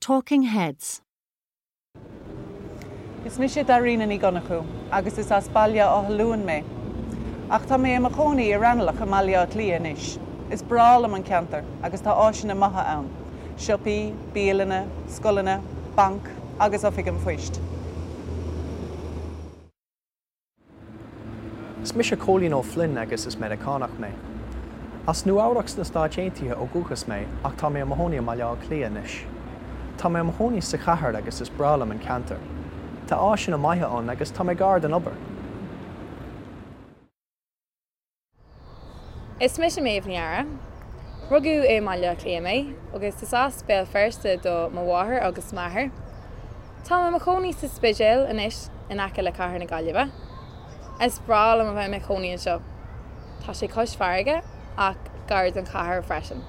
Talking Heads. Is mise Dairena Ní Dhonnchú agus is as Baile Átha Luain mé. Ach tá mé i mo chónaí i Raghnallach i mBaile Átha Cliath anois. Is breá liom an ceantar agus tá áiseanna maithe ann, siopaí, bialanna, scoileanna, banc agus oifig an phoist. Is mise Cóilín Ó Floinn agus is Meiriceánach mé. As Nua-Eabhrac sna Stáit Aontaithe ó dhúchas mé ach tá mé i mo chónaí i mBaile Átha Cliath anois. Tá mé i mo chónaí sa chathair agus is breá liom an ceantar. Tá áiseanna maithe ann agus tá mé gar don obair. Is mise Méabh Ní Eadhra. Rugadh i mBaile Átha Cliath mé agus is as Béal Feirste do mo mháthair agus m'athair. Tá mé i mo chónaí sa Spidéal anois in aice le Cathair na Gaillimhe. Is breá liom a bheith i mo chónaí anseo. Tá sé cois farraige ach gar don chathair freisin.